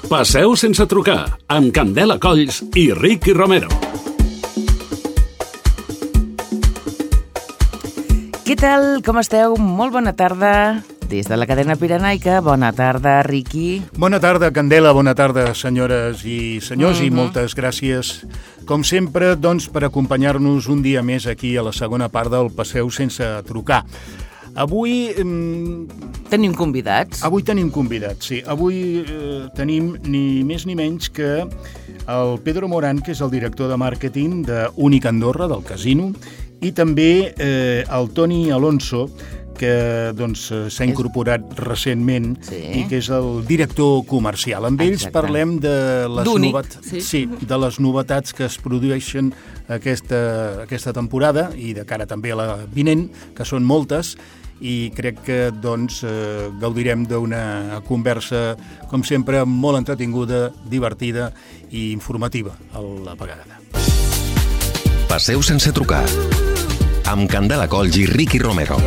Passeu sense trucar, amb Candela Colls i Ricky Romero. Què tal? Com esteu? Molt bona tarda. Des de la cadena Pirenaica, bona tarda, Ricky. Bona tarda, Candela, bona tarda, senyores i senyors, i moltes gràcies, com sempre, doncs, per acompanyar-nos un dia més aquí a la segona part del Passeu sense trucar. Avui... Tenim convidats. Avui tenim convidats, sí. Avui tenim ni més ni menys que el Pedro Morán, que és el director de màrqueting d'Únic Andorra, del casino, i també el Toni Alonso, que doncs, s'ha incorporat recentment i que és el director comercial. Amb ells parlem de les novetats que es produeixen aquesta temporada i de cara també a la vinent, que són moltes, i crec que doncs, gaudirem d'una conversa, com sempre, molt entretinguda, divertida i informativa a la vegada. Passeu sense trucar, amb Candela Colls i Ricky Romero.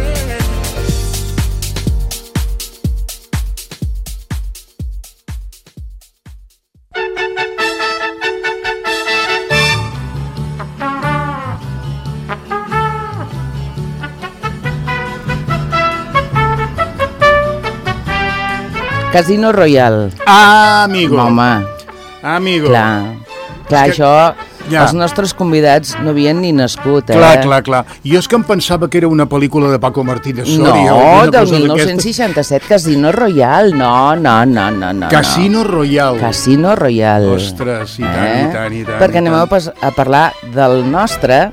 Casino Royal. Ah, amigo. Home. Amigo. Clar, això... Ja. Els nostres convidats no havien ni nascut, Clar. Jo és que em pensava que era una pel·lícula de Paco Martínez Soria. No, del 1967, Casino Royal. No. Casino Royal. Casino Royal. Ostres, i tant. Perquè anem a parlar del nostre,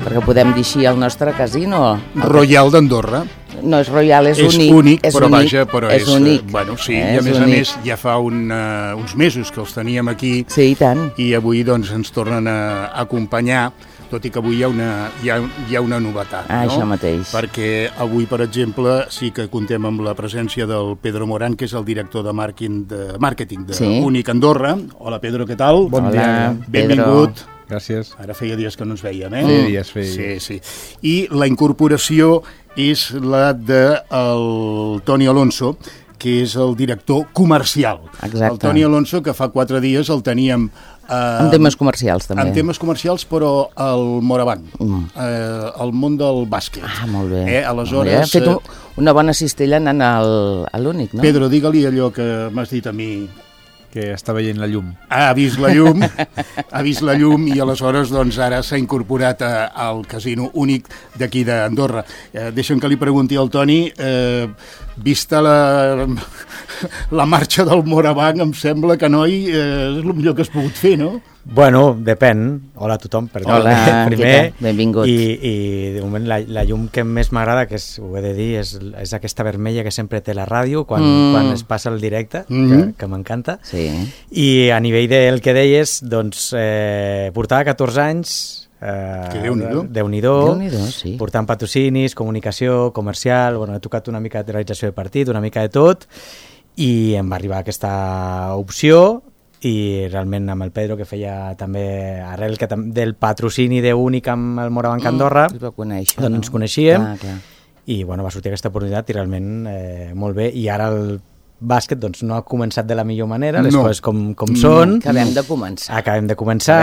perquè podem dir així, el nostre casino. Royal d'Andorra. No és Royal, és únic. És únic, però vaja, és únic. Bueno, sí, i a més, ja fa uns mesos que els teníem aquí. Sí, i tant. I avui, doncs, ens tornen a acompanyar, tot i que avui hi ha una novetat, no? Això mateix. Perquè avui, per exemple, sí que contem amb la presència del Pedro Morán, que és el director de màrqueting d'Únic Andorra. Hola, Pedro, què tal? Bon dia. Benvingut. Gràcies. Ara feia dies que no ens veiem, eh? Feia dies. Sí. I la incorporació és la del Toni Alonso, que és el director comercial. Exacte. El Toni Alonso, que fa 4 dies el teníem... en temes comercials, també. En temes comercials, però al Morabanc, al món del bàsquet. Ah, molt bé. Aleshores... Ha fet una bona cistella anant a l'Únic, no? Pedro, digue-li allò que m'has dit a mi... Que està veient la llum. Ha vist la llum i aleshores doncs, ara s'ha incorporat al casino únic d'aquí d'Andorra. Deixa'm que li pregunti al Toni, vista la marxa del Morabanc, em sembla que, noi, és el millor que has pogut fer, no? Bueno, depèn. Hola a tothom, perdó. Hola, primer. Benvingut. I de moment la llum que més m'agrada, que ho he de dir, és aquesta vermella que sempre té la ràdio quan es passa el directe, que m'encanta. Sí. I a nivell del que deies, doncs, portava 14 anys... que Déu-n'hi-do, sí. Portant patrocinis, comunicació, comercial, bueno, he tocat una mica de realització de partit, una mica de tot, i em va arribar aquesta opció, i realment amb el Pedro, que feia també arrel del patrocini d'Únic amb el Morabanc Andorra, doncs ens coneixíem, clar. I bueno, va sortir aquesta oportunitat i realment molt bé, i ara el bàsquet doncs, no ha començat de la millor manera, les coses com són. Acabem de començar.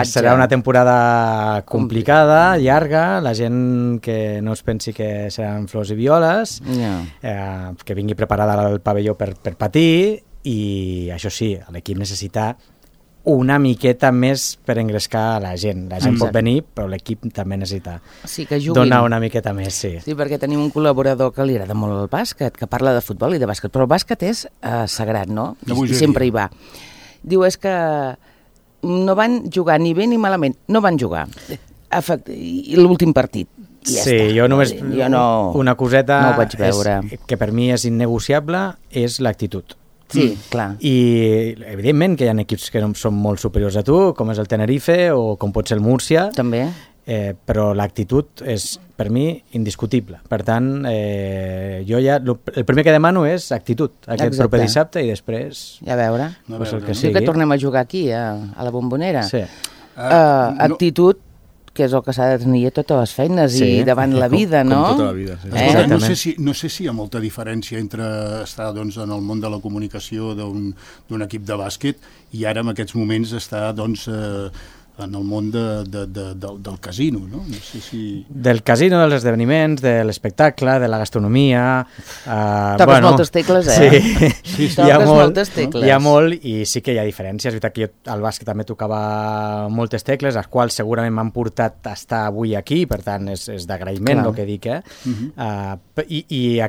Serà una temporada complicada, llarga, la gent que no es pensi que seran flors i violes, que vingui preparada al pavelló per patir, i això sí, l'equip necessita una miqueta més per engrescar la gent. La gent pot venir, però l'equip també necessita donar una miqueta més, sí. Sí, perquè tenim un col·laborador que li agrada molt el bàsquet, que parla de futbol i de bàsquet, però el bàsquet és sagrat, no? I sempre hi va. Diu, és que no van jugar ni bé ni malament, no van jugar. L'últim partit. Sí, jo només una coseta que per mi és innegociable és l'actitud. Sí, clar. I evidentment que hi ha equips que són molt superiors a tu, com és el Tenerife o com pot ser el Múrcia. També. Però l'actitud és, per mi, indiscutible. Per tant, jo ja... El primer que demano és actitud, aquest proper dissabte, i després... Ja a veure. El que sigui. Sí que tornem a jugar aquí, a la Bombonera. Sí. Actitud que és el que s'ha de tenir a totes les feines Sí, i davant la vida, no? Com tota la vida, sí. Escolta, no sé si hi ha molta diferència entre estar doncs, en el món de la comunicació d'un equip de bàsquet i ara en aquests moments estar doncs, en el món del casino, no? No sé si... Del casino, dels esdeveniments, de l'espectacle, de la gastronomia... Toques moltes tecles, Sí, Toques moltes tecles. Hi ha molt i sí que hi ha diferències. És veritat que jo al bàsquet també tocava moltes tecles, les quals segurament m'han portat a estar avui aquí, per tant és d'agraïment el que dic, I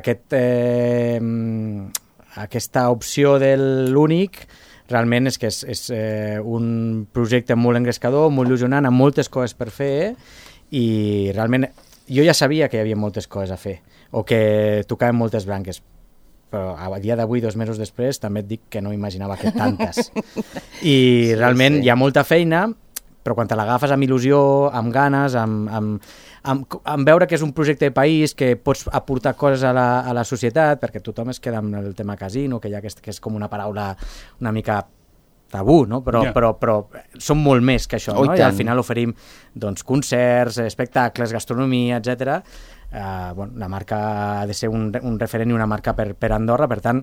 aquesta opció de l'únic realment és que és un projecte molt engrescador, molt il·lusionant, amb moltes coses per fer i realment jo ja sabia que hi havia moltes coses a fer o que tocaven moltes branques, però a dia d'avui, 2 mesos després, també et dic que no imaginava que tantes. I realment hi ha molta feina, però quan te l'agafes amb il·lusió, amb ganes, amb veure que és un projecte de país, que pots aportar coses a la societat, perquè tothom es queda amb el tema casino, que és com una paraula una mica tabú, no? Però som molt més que això, no? I al final oferim doncs, concerts, espectacles, gastronomia, etc. La marca ha de ser un referent i una marca per Andorra, per tant,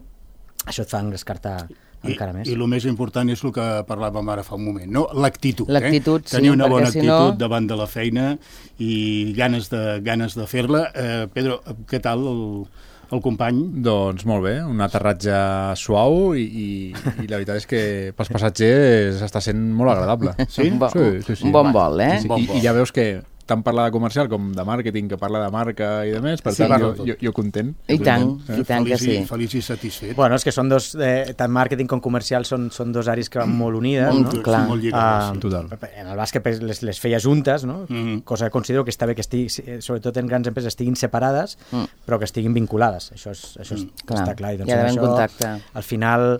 això et fa engrescar-te encara més. I el més important és el que parlàvem ara fa un moment, no? L'actitud. L'actitud, sí. Tenir una bona actitud davant de la feina i ganes de fer-la. Pedro, què tal el company? Doncs molt bé, un aterratge suau i la veritat és que pels passatgers està sent molt agradable. Sí? Sí. Un bon vol, Sí. I ja veus que tant parla de comercial com de màrqueting, que parla de marca i de més, per tant jo content. I tant que sí. Feliç i satisfet. Bueno, és que són dos, tant màrqueting com comercial són dos àrees que van molt unides, no? Clar. Molt lligades, Total. En el bàsquet les feia juntes, no? Cosa que considero que està bé que sobretot en grans empreses estiguin separades, però que estiguin vinculades. Això està clar. I doncs hi ha d'haver un contacte. Al final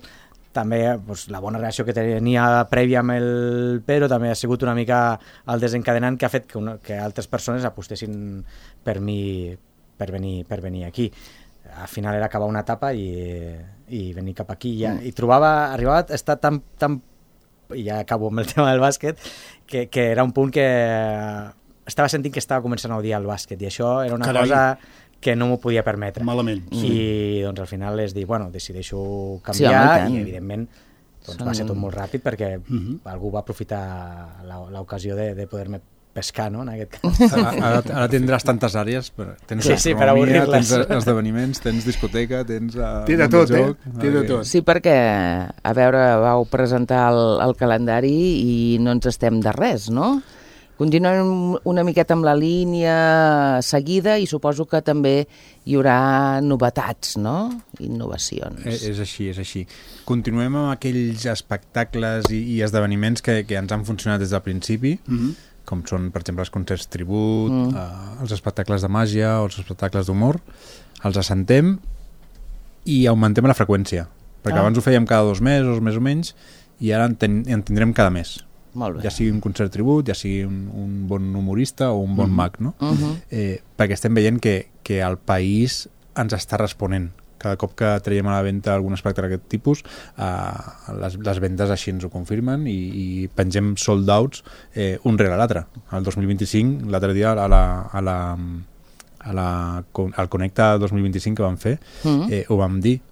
també la bona relació que tenia prèvia amb el Pedro també ha sigut una mica el desencadenant que ha fet que altres persones apostessin per mi per venir aquí. Al final era acabar una etapa i venir cap aquí. I arribava a estar tan i ja acabo amb el tema del bàsquet, que era un punt que estava sentint que estava començant a odiar el bàsquet i això era una cosa que no m'ho podia permetre. Malament. I doncs al final és dir, decideixo canviar i evidentment va ser tot molt ràpid perquè algú va aprofitar l'ocasió de poder-me pescar, no? En aquest cas. Ara tindràs tantes àrees, tens per avorrir-les. tens esdeveniments, tens discoteca, tens té de tot, té de tot. Sí, perquè, a veure, vau presentar el calendari i no ens estem de res, no? Continuem una miqueta amb la línia seguida i suposo que també hi haurà novetats, no? Innovacions. És així. Continuem amb aquells espectacles i esdeveniments que ens han funcionat des del principi, com són, per exemple, els concerts tribut, els espectacles de màgia o els espectacles d'humor. Els assentem i augmentem la freqüència, perquè abans ho fèiem cada 2 mesos, més o menys, i ara en tindrem cada mes. Molt bé. Ja sigui un concert tribut, ja sigui un bon humorista o un bon mag, no? Perquè estem veient que el país ens està responent. Cada cop que traiem a la venda algun espectacle d'aquest tipus, les vendes així ens ho confirmen i pengem sold outs un rere l'altre. El 2025, l'altre dia al Connecta 2025 que vam fer, ho vam dir.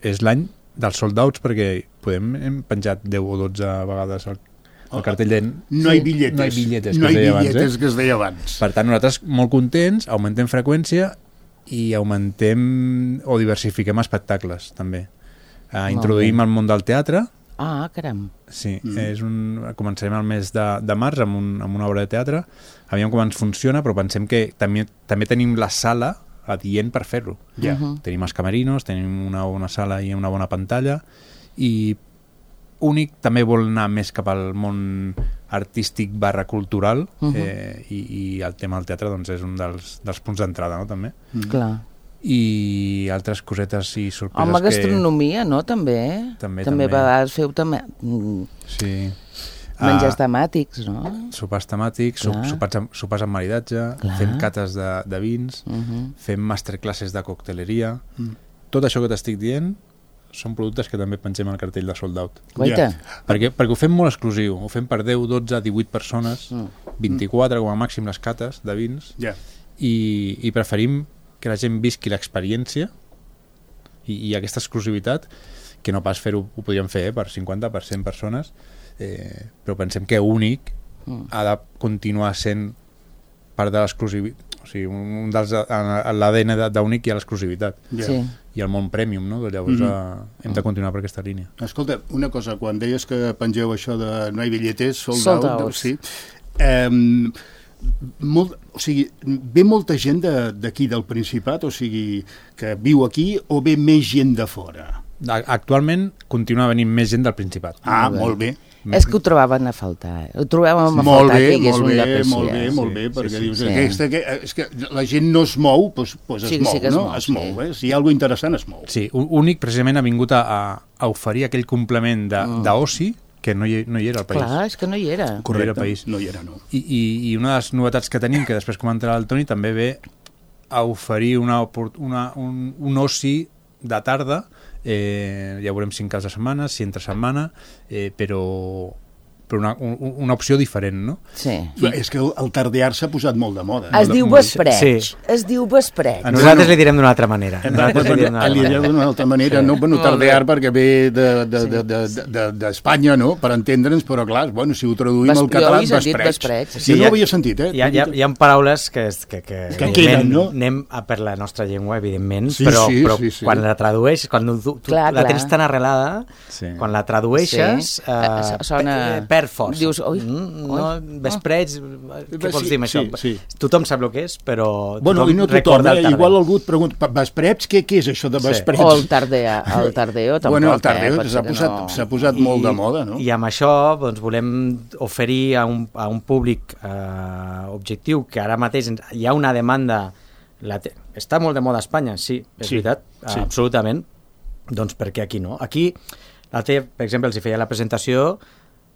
És l'any dels sold outs perquè hem penjat 10 o 12 vegades el cartell de... No hi billetes, que es deia abans. Per tant, nosaltres molt contents, augmentem freqüència i augmentem o diversifiquem espectacles, també. Introduïm el món del teatre. Ah, caram. Sí, començarem el mes de març amb una obra de teatre. Aviam com ens funciona, però pensem que també tenim la sala adient per fer-ho. Tenim els camerinos, tenim una bona sala i una bona pantalla, i Únic també vol anar més cap al món artístic / cultural, i el tema del teatre doncs, és un dels punts d'entrada, no? També. Clar. I altres cosetes i sorpreses amb la gastronomia, no? També a vegades feu també... Sí. Menjars temàtics, no? Sopars temàtics, sopars amb maridatge, fem cates de vins, fem masterclasses de cocteleria. Tot això que t'estic dient són productes que també pensem al cartell de sold out. Guaita. Perquè ho fem molt exclusiu, ho fem per 10, 12, 18 persones 24 com a màxim les cates de vins, i preferim que la gent visqui l'experiència i aquesta exclusivitat, que no pas fer-ho, ho podríem fer per 50, per 100 persones, però pensem que Únic ha de continuar sent part de l'exclusivitat. O sigui, l'ADN d'Únic hi ha l'exclusivitat. I el món premium, no? Llavors hem de continuar per aquesta línia. Escolta, una cosa, quan deies que pengeu això de no hi billetes, sold out, sí. O sigui, ve molta gent d'aquí del Principat, o sigui, que viu aquí, o ve més gent de fora? Actualment continua venint més gent del Principat. Molt bé. És que ho trobaven a faltar. Ho trobàvem a faltar, que hi hagués un lloc així. Molt bé, perquè dius, és que la gent no es mou, doncs es mou, no? Es mou, si hi ha alguna cosa interessant, es mou. Sí, Únic precisament ha vingut a oferir aquell complement d'oci que no hi era al país. Clar, és que no hi era. Correcte, no hi era, no. I una de les novetats que tenim, que després comentarà el Toni, també ve a oferir un oci de tarda. Ja veurem si en cas de setmana, si entre setmana, però una opció diferent, no? Sí. És que el tardear s'ha posat molt de moda. Es diu vespreig. Es diu vespreig. Nosaltres li direm d'una altra manera. Li direm d'una altra manera, no? Bueno, tardear perquè ve d'Espanya, no? Per entendre'ns, però clar, bueno, si ho traduïm al català, vespreig. Jo no ho havia sentit, Hi ha paraules que queden, no? Anem per la nostra llengua, evidentment, però quan la tradueixes, quan la tens tan arrelada, quan la tradueixes, perd força. Dius, vespreig, què vols dir amb això? Tothom sap el que és, però tothom recorda el tarder. Igual algú et pregunta, vespreig, què és això de vespreig? O el tardeo tampoc. Bueno, el tardeo s'ha posat molt de moda, no? I amb això volem oferir a un públic objectiu, que ara mateix hi ha una demanda, està molt de moda a Espanya, sí, és veritat, absolutament, doncs per què aquí no? Aquí, per exemple, els hi feia la presentació,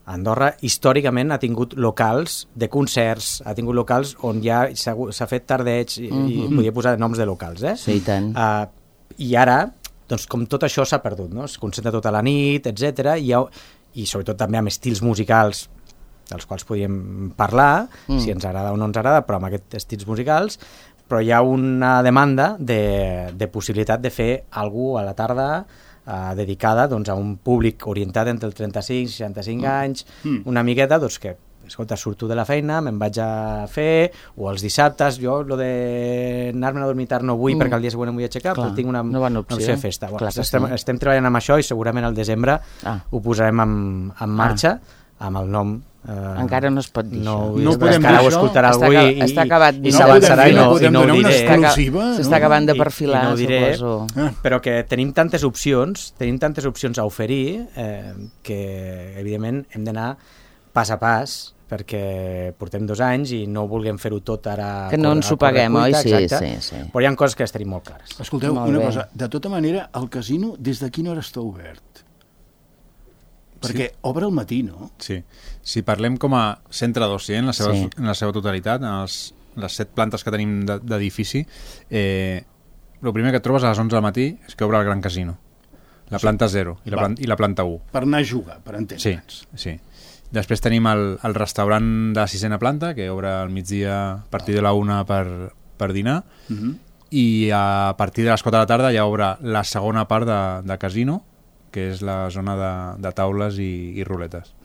Andorra històricament ha tingut locals de concerts, ha tingut locals on ja s'ha fet tardeig i podia posar noms de locals, Sí, i tant. I ara, doncs com tot això s'ha perdut, no? Es concentra tota la nit, etc. I sobretot també amb estils musicals dels quals podríem parlar, si ens agrada o no ens agrada, però amb aquests estils musicals, però hi ha una demanda de possibilitat de fer alguna cosa a la tarda dedicada a un públic orientat entre el 35 i 65 anys, una miqueta que, escolta, surto de la feina, me'n vaig a fer, o els dissabtes, jo lo de anar-me'n a dormir tard no vull perquè el dia següent em vull aixecar, però tinc una opció de festa. Estem treballant amb això i segurament al desembre ho posarem en marxa amb el nom. Encara no es pot dir això. No podem dir això. Ho escoltarà algú i s'avançarà i no ho diré. S'està acabant de perfilar, suposo. Però que tenim tantes opcions a oferir que, evidentment, hem d'anar pas a pas, perquè portem 2 anys i no vulguem fer-ho tot ara... Que no ens ho paguem, oi? Sí. Però hi ha coses que les tenim molt clares. Escolteu, una cosa, de tota manera, el casino, des de quina hora està obert? Perquè obre al matí, no? Sí. Si parlem com a centre d'oci, en la seva totalitat, en les 7 plantes que tenim d'edifici, el primer que et trobes a les 11 del matí és que obre el Gran Casino. La planta 0 i la planta 1. Per anar a jugar, per entendre'ns. Sí. Després tenim el restaurant de la 6a planta, que obre al migdia a partir de la 1 per dinar, i a partir de les 4 de la tarda ja obre la segona part de casino, que és la zona de taules i ruletes.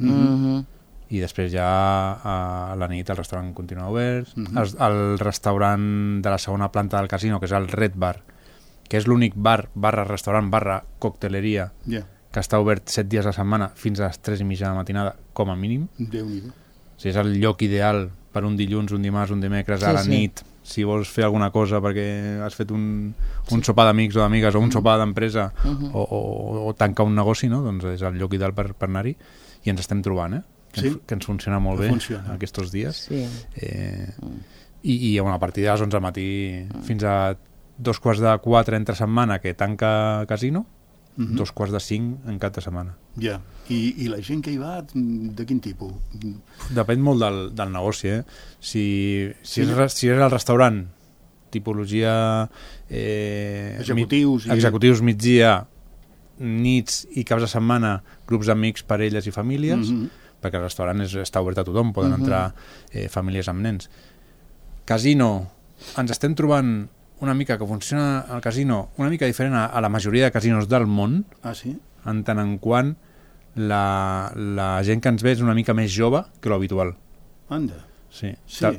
I després ja a la nit el restaurant continua obert. El restaurant de la segona planta del casino, que és el Red Bar, que és l'únic bar, restaurant, cocteleria, que està obert 7 dies a la setmana fins a les 3:30 de la matinada, com a mínim. Déu-n'hi-do. O sigui, és el lloc ideal per un dilluns, un dimarts, un dimecres, a la nit, si vols fer alguna cosa perquè has fet un sopar d'amics o d'amigues o un sopar d'empresa o tancar un negoci, no? Doncs és el lloc ideal per anar-hi, i ens estem trobant, que ens funciona molt bé aquests dies. I a partir de les 11 del matí fins a 3:45 entre setmana, que tanca casino, 4:45 en cap de setmana. Ja. I la gent que hi va, de quin tipus? Depèn molt del negoci, Si és el restaurant, tipologia executius migdia, nits i caps de setmana, grups d'amics, parelles i famílies, perquè el restaurant està obert a tothom, poden entrar famílies amb nens. Casino, ens estem trobant una mica que funciona el casino una mica diferent a la majoria de casinos del món, en tant en quant la gent que ens ve és una mica més jove que l'habitual. Anda. Sí.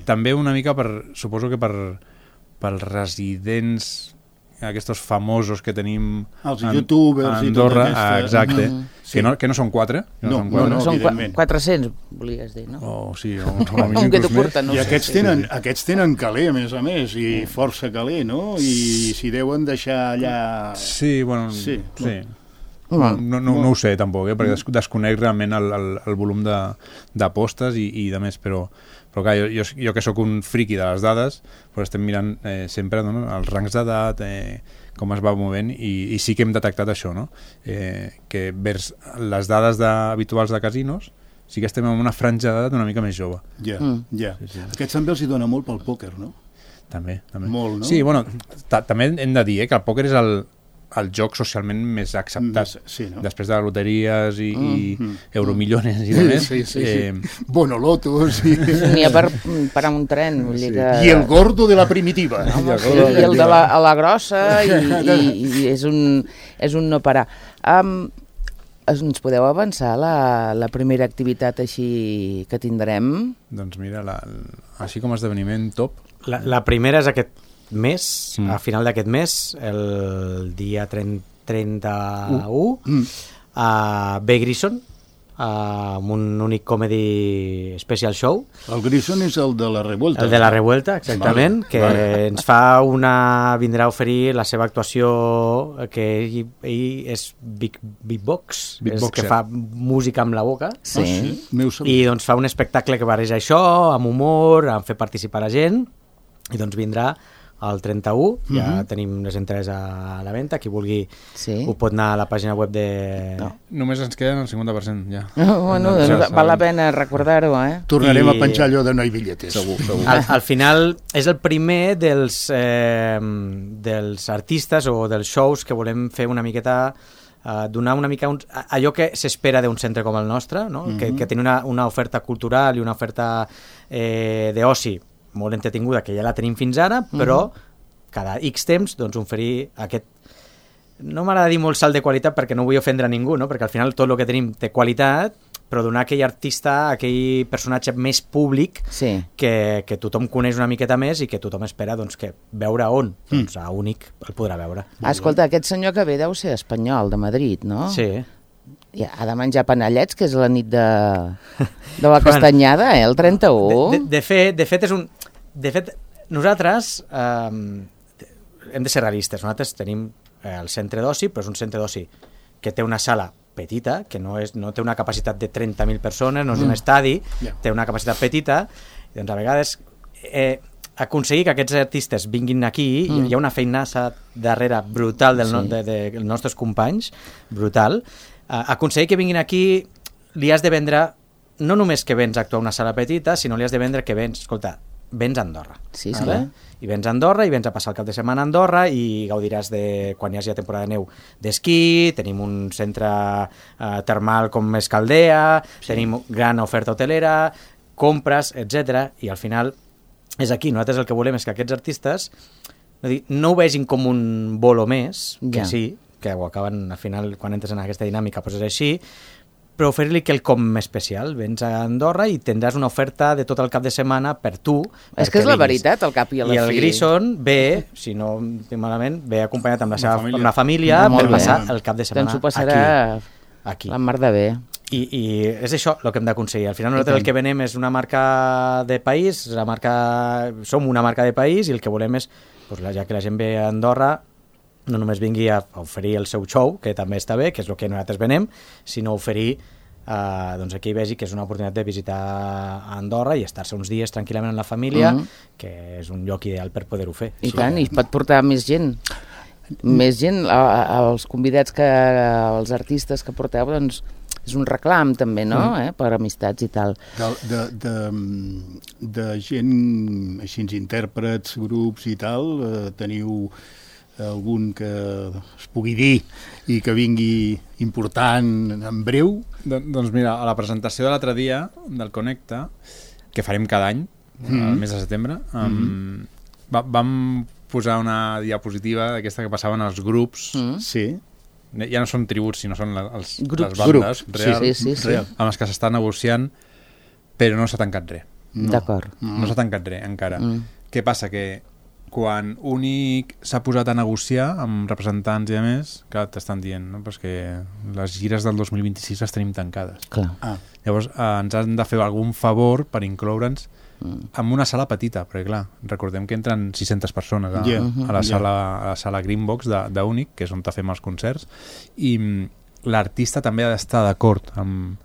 També una mica suposo que pels residents aquests famosos que tenim els youtubers a Andorra, exacte, que no són 4, són 400, volies dir, no? Sí, que t'ho porten, no? I aquests tenen caler, a més, i força caler, no? I s'hi deuen deixar allà... Sí, bueno, sí. No ho sé tampoc, perquè desconec realment el volum d'apostes i de més, però clar, jo que sóc un friqui de les dades, però estem mirant sempre els rangs d'edat, com es va movent, i sí que hem detectat això, no? Que vers les dades habituals de casinos sí que estem en una franja d'edat una mica més jove. Ja. Aquests també els hi dona molt pel pòquer, no? També. Molt, no? Sí, bueno, també hem de dir que el pòquer és el joc socialment més acceptat, després de loteries i euromillones i demés. Bonolotos. N'hi ha per a un tren. I el gordo de la primitiva. I el de la grossa, i és un no parar. Ens podeu avançar la primera activitat així que tindrem? Doncs mira, així com a esdeveniment top. La primera és aquest mes, a final d'aquest mes, el dia 31, a Bay Grison, amb un únic comedy special show. El Grison és el de la Revuelta. El de la Revuelta, exactament, que ens vindrà a oferir la seva actuació, que ell és beatbox, que fa música amb la boca, i doncs fa un espectacle que barreja això, amb humor, amb fer participar la gent, i doncs vindrà el 31, ja tenim les entrades a la venda, qui vulgui ho pot anar a la pàgina web de... Només ens queden el 50%, ja. Bueno, val la pena recordar-ho, Tornarem a penjar allò de no hi billetes. Segur. Al final és el primer dels artistes o dels shows que volem fer una miqueta, donar una mica allò que s'espera d'un centre com el nostre, no? Que tingui una oferta cultural i una oferta d'oci molt entretinguda, que ja la tenim fins ara, però cada X temps doncs oferir aquest, no m'agrada dir molt salt de qualitat perquè no vull ofendre a ningú, no? Perquè al final tot el que tenim té qualitat, però donar aquell artista, aquell personatge més públic que tothom coneix una miqueta més i que tothom espera doncs, que veure on, doncs a Únic el podrà veure. Escolta, aquest senyor que ve deu ser espanyol, de Madrid, no? Sí. I ha de menjar panellets, que és la nit de la castanyada, el 31. De fet, nosaltres hem de ser realistes. Nosaltres tenim el centre d'oci, però és un centre d'oci que té una sala petita, que no té una capacitat de 30.000 persones, no és un estadi, té una capacitat petita, i doncs a vegades aconseguir que aquests artistes vinguin aquí, hi ha una feinassa darrere brutal dels nostres companys, brutal. Aconseguir que vinguin aquí, li has de vendre, no només que vens a actuar a una sala petita, sinó li has de vendre que vens a Andorra. Sí, clar. I vens a Andorra, i vens a passar el cap de setmana a Andorra, i gaudiràs quan hi hagi temporada de neu d'esquí, tenim un centre termal com Escaldea, tenim gran oferta hotelera, compres, etc. I al final és aquí. Nosaltres el que volem és que aquests artistes no ho vegin com un bolo més, que sí, que ho acaben al final, quan entres en aquesta dinàmica, doncs és així, però oferir-li quelcom especial. Vens a Andorra i tindràs una oferta de tot el cap de setmana per tu. És que és la veritat, al cap i a la fi. I el Grison ve, si no estic malament, ve acompanyat amb la família per passar el cap de setmana aquí. Doncs ho passarà la mar de bé. I és això el que hem d'aconseguir. Al final nosaltres el que venem és una marca de país, som una marca de país, i el que volem és, ja que la gent ve a Andorra, no només vingui a oferir el seu show, que també està bé, que és el que nosaltres venem, sinó oferir doncs aquí vegi que és una oportunitat de visitar Andorra i estar-se uns dies tranquil·lament amb la família, que és un lloc ideal per poder-ho fer. I tant, i pot portar més gent. Més gent, els convidats, els artistes que porteu, doncs és un reclam també, no? Per amistats i tal. De gent, així, intèrprets, grups i tal, teniu algun que es pugui dir i que vingui important en breu? Doncs mira, a la presentació de l'altre dia del Connecta, que farem cada any, al mes de setembre, vam posar una diapositiva d'aquesta que passaven als grups. Sí. Ja no són tributs, sinó són les Grups. bandes Sí. amb les que s'està negociant, però no s'ha tancat res. D'acord. No s'ha tancat res encara. Què passa? Que quan Únic s'ha posat a negociar amb representants i a més, clar, t'estan dient, no? Però és que les gires del 2026 les tenim tancades. Clar. Llavors ens han de fer algun favor per incloure'ns en una sala petita, perquè clar, recordem que entren 600 persones a la sala Greenbox d'Únic, que és on fem els concerts, i l'artista també ha d'estar d'acord amb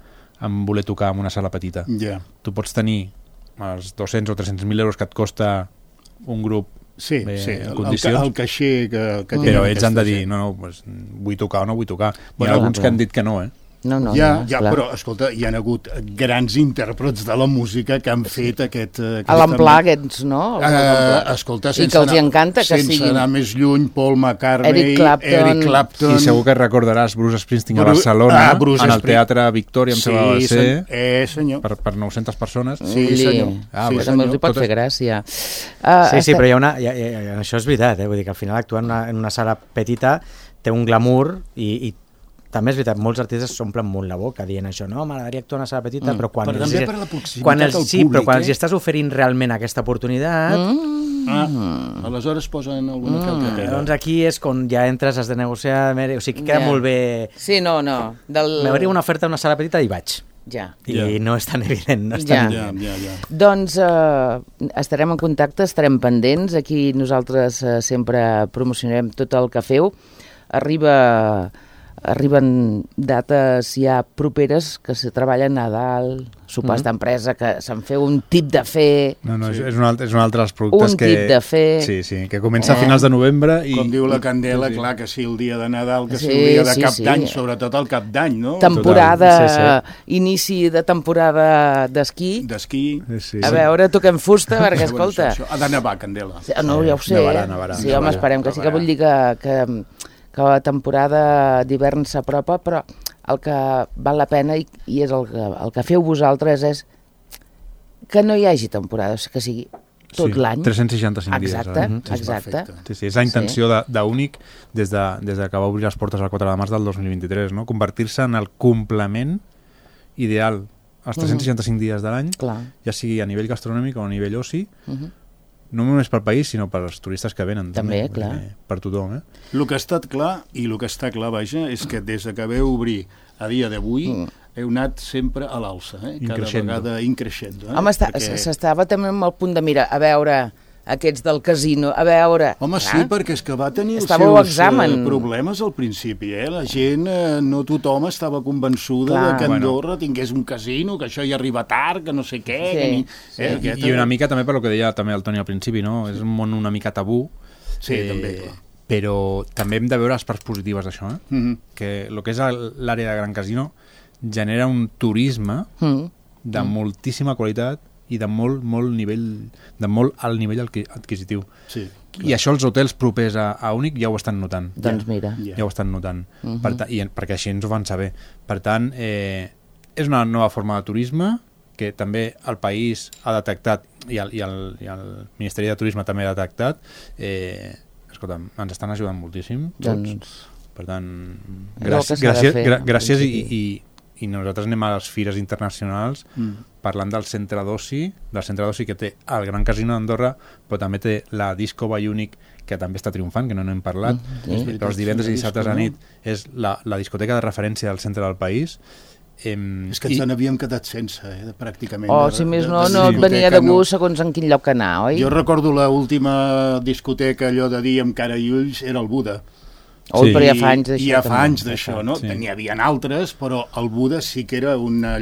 voler tocar en una sala petita. Tu pots tenir els 200 o 300.000 euros que et costa un grup en condicions, el caixer que però ells han de dir, pues, vull tocar o no vull tocar. Hi ha alguns que han dit que no, però, escolta, hi ha hagut grans intèrprets de la música que han fet aquest... A l'amplà aquests, no? Escolta, i que els encanta que siguin... Sense anar més lluny, Paul McCartney, Eric Clapton... I segur que recordaràs Bruce Springsteen a Barcelona, en el Teatre Victòria, em sembla que va ser, per 900 persones. Sí, senyor. També els hi pot fer gràcia. Sí, però hi ha això és veritat, vull dir que al final actuar en una sala petita té un glamour i també és veritat, molts artistes s'omplen molt la boca dient això, no, m'agradaria actuar en una sala petita, però quan també per la proximitat al públic, però quan els estàs oferint realment aquesta oportunitat... Aleshores posen alguna calcatera. Doncs aquí és quan ja entres, has de negociar, o sigui, queda molt bé... Sí, no. M'hauria una oferta en una sala petita i vaig. I no és tan evident. Doncs estarem en contacte, estarem pendents. Aquí nosaltres sempre promocionarem tot el que feu. Arriben dates ja properes que se treballa a Nadal, sopars d'empresa, que se'n feu un tip de fer... No, és un altre dels productes un tip de fer... Sí, que comença a finals de novembre i... Com diu la Candela, clar, que sí, el dia de Nadal, que sí, el dia de cap d'any, sobretot el cap d'any, no? Temporada, inici de temporada d'esquí. A veure, toquem fusta, perquè, escolta... Ha de nevar, Candela. No, ja ho sé. Sí, home, esperem que sí, que vull dir que la temporada d'hivern s'apropa, però el que val la pena i és el que feu vosaltres és que no hi hagi temporada, que sigui tot l'any. 365 dies. Exacte. Sí, és la intenció d'Únic des que va obrir les portes el 4 de març del 2023, no? Convertir-se en el complement ideal als 365 dies de l'any, ja sigui a nivell gastronòmic o a nivell oci, no només pel país, sinó per als turistes que venen. També, clar. Per tothom, El que ha estat clar, i el que està clar, vaja, és que des que veu obrir a dia d'avui heu anat sempre a l'alça, cada vegada increixent. Home, s'estava també amb el punt de mira, a veure, aquests del casino, a veure... Home, sí, perquè és que va tenir els seus problemes al principi, La gent, no tothom estava convençuda que Andorra tingués un casino, que això hi arriba tard, que no sé què... I una mica també per lo que deia també el Toni al principi, no? És un món una mica tabú. Sí, també, clar. Però també hem de veure les parts positives d'això, que el que és l'àrea de Gran Casino genera un turisme de moltíssima qualitat i de molt nivell, de molt alt nivell adquisitiu. Sí. I això els hotels propers a Únic ja ho estan notant. Doncs mira. Ja ho estan notant. Perquè així ens ho van saber. Per tant, és una nova forma de turisme que també el país ha detectat i el Ministeri de Turisme també ha detectat. Escolta'm, ens estan ajudant moltíssim tots. Per tant, gràcies i nosaltres anem a les fires internacionals parlant del centre d'oci que té el Gran Casino d'Andorra, però també té la Disco by Únic, que també està triomfant, que no n'hem parlat, però els divendres i dissabtes a nit és la discoteca de referència del centre del país. És que ens n'havíem quedat sense, pràcticament. Si més no et venia de gust segons en quin lloc anar, oi? Jo recordo l'última discoteca, allò de dir amb cara i ulls, era el Buda. Però ja fa anys d'això. Ja fa anys d'això, no? N'hi havia altres, però el Buda sí que era una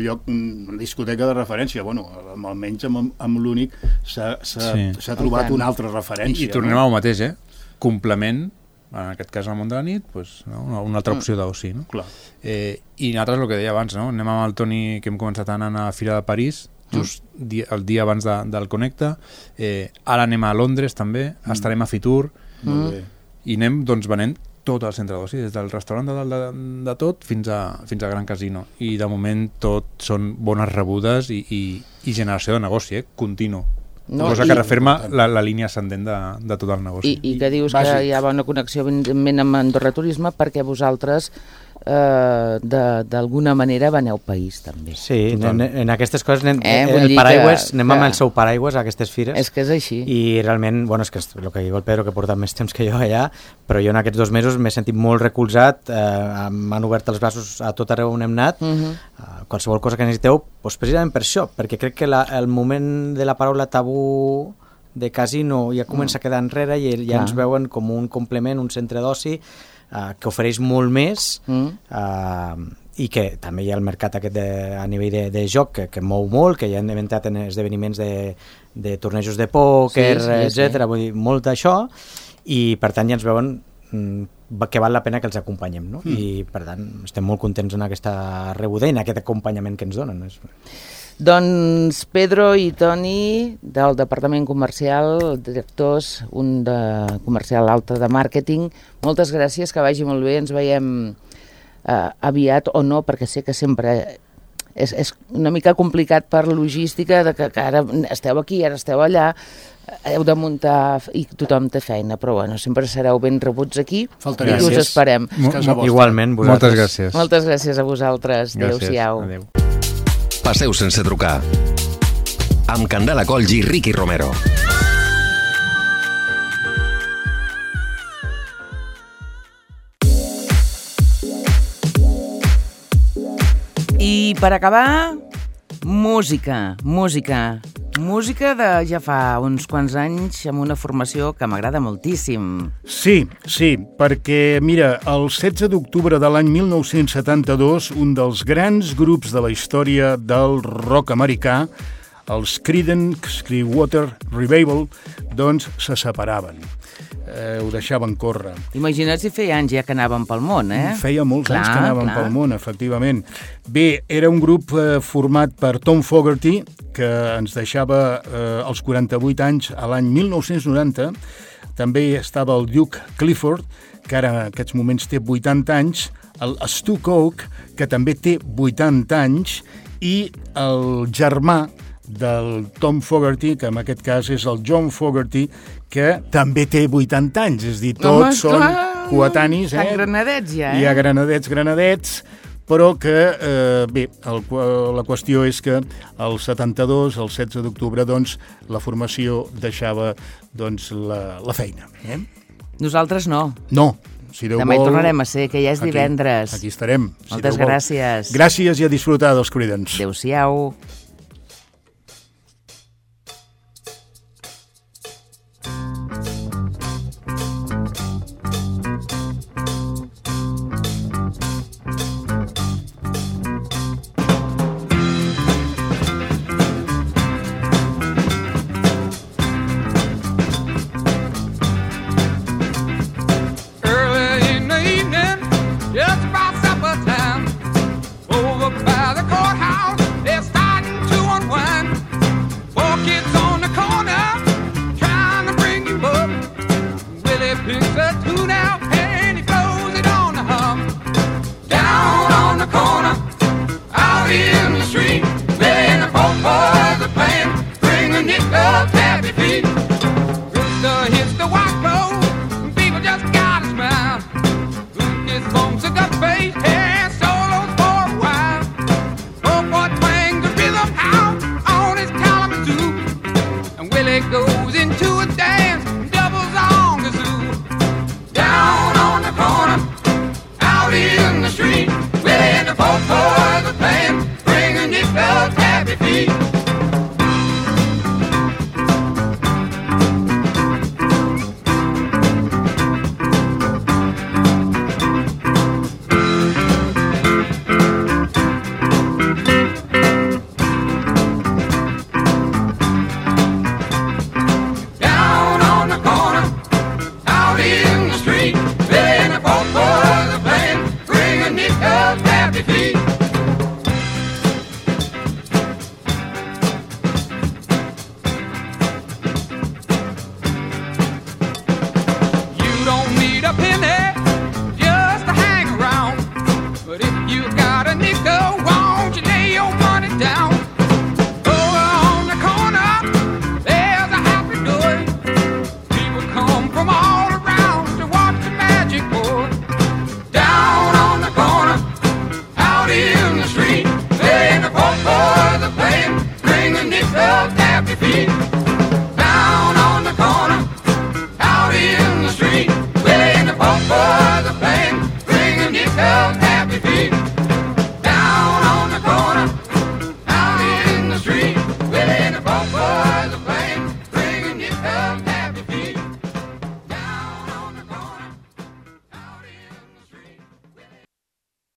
discoteca de referència. Bueno, almenys amb l'Únic s'ha trobat una altra referència. I tornem al mateix, complement, en aquest cas al món de la nit, una altra opció d'oci, no? Clar. I nosaltres, el que deia abans, no? Anem amb el Toni, que hem començat anant a la Fira de París, just el dia abans del Connecta, ara anem a Londres també, estarem a Fitur, molt bé. i anem doncs, venent tot el centre d'oci, des del restaurant de tot fins a Gran Casino. I de moment tot són bones rebudes i generació de negoci, continu. Cosa que referma la línia ascendent de tot el negoci. I que dius que hi ha bona connexió evidentment amb Andorra Turisme perquè vosaltres d'alguna manera veneu país també. Sí, en aquestes coses el paraigües, anem amb el seu paraigües a aquestes fires. És que és així. I realment, bueno, és que és el que diu el Pedro, que porta més temps que jo allà, però jo en aquests 2 mesos m'he sentit molt recolzat, m'han obert els braços a tot arreu on hem anat, qualsevol cosa que necessiteu, doncs precisament per això, perquè crec que el moment de la paraula tabú de casino ja comença a quedar enrere i ja ens veuen com un complement, un centre d'oci que ofereix molt més i que també hi ha el mercat aquest a nivell de joc que mou molt, que ja han inventat en esdeveniments de tornejos de pòquer, etc. Vull dir, molt d'això, i per tant ja ens veuen que val la pena que els acompanyem, no? I per tant estem molt contents en aquesta rebuda i en aquest acompanyament que ens donen. Doncs Pedro i Toni del Departament Comercial, directors, un de comercial, l'altre de màrqueting, moltes gràcies, que vagi molt bé, ens veiem aviat o no, perquè sé que sempre és una mica complicat per logística, de que ara esteu aquí, ara esteu allà, heu de muntar i tothom té feina, però bueno, sempre sereu ben rebuts aquí i us esperem. Igualment, moltes gràcies. Moltes gràcies a vosaltres. Adéu-siau. Adéu. Passeu sense trucar. Amb Candela Colls i Ricky Romero. I per acabar, música de ja fa uns quants anys amb una formació que m'agrada moltíssim. Sí, perquè, mira, el 16 d'octubre de l'any 1972, un dels grans grups de la història del rock americà, els Creedence Clearwater Revival, doncs se separaven. Ho deixaven córrer. Imagina't si feia anys ja que anàvem pel món, Feia molts anys que anàvem pel món, efectivament. Bé, era un grup format per Tom Fogerty, que ens deixava als 48 anys a l'any 1990. També estava el Duke Clifford, que ara en aquests moments té 80 anys, el Stu Coke, que també té 80 anys, i el germà del Tom Fogerty, que en aquest cas és el John Fogerty, que també té 80 anys, és a dir, tots són coetanis, Tan granadets ja, Hi ha granadets, però que, bé, la qüestió és que el 72, el 16 d'octubre, doncs, la formació deixava doncs, la feina. Nosaltres no. No. Si Déu Demà hi vol, tornarem a ser, que ja és divendres. Aquí estarem. Moltes gràcies. Gràcies i a disfrutar dels Creedence. Adéu-siau.